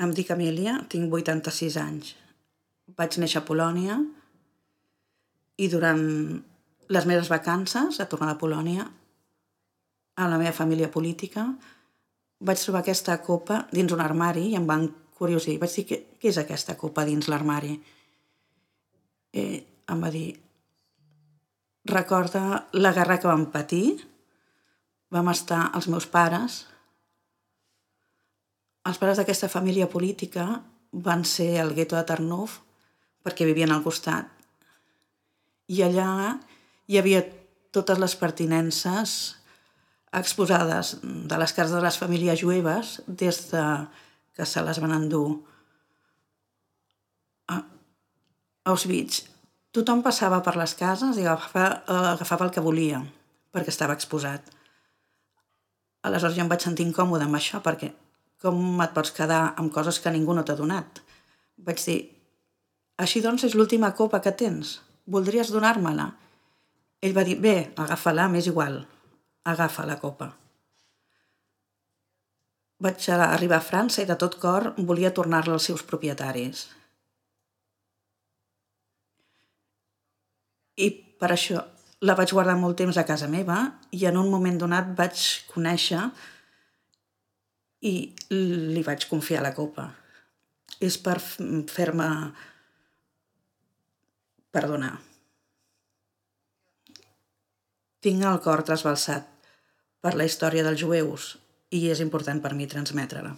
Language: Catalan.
Em dic Emília, tinc 86 anys. Vaig néixer a Polònia i durant les meves vacances, a tornar de Polònia, amb la meva família política, vaig trobar aquesta copa dins un armari i em van curiosir. Vaig dir, què és aquesta copa dins l'armari? Em va dir, recorda la guerra que vam patir, vam estar els meus pares. Els pares d'aquesta família política van ser al gueto de Tarnów perquè vivien al costat. I allà hi havia totes les pertinences exposades de les cases de les famílies jueves des de que se les van endur a Auschwitz. Tothom passava per les cases i agafava el que volia perquè estava exposat. Aleshores jo em vaig sentir incòmode amb això perquè com et pots quedar amb coses que ningú no t'ha donat? Vaig dir, així doncs és l'última copa que tens. Voldries donar-me-la? Ell va dir, bé, agafa-la, m'és igual. Agafa la copa. Vaig arribar a França i de tot cor volia tornar-la als seus propietaris. I per això la vaig guardar molt temps a casa meva i en un moment donat vaig conèixer i li vaig confiar la copa. És per fer-me perdonar. Tinc el cor trasbalsat per la història dels jueus i és important per mi transmetre-la.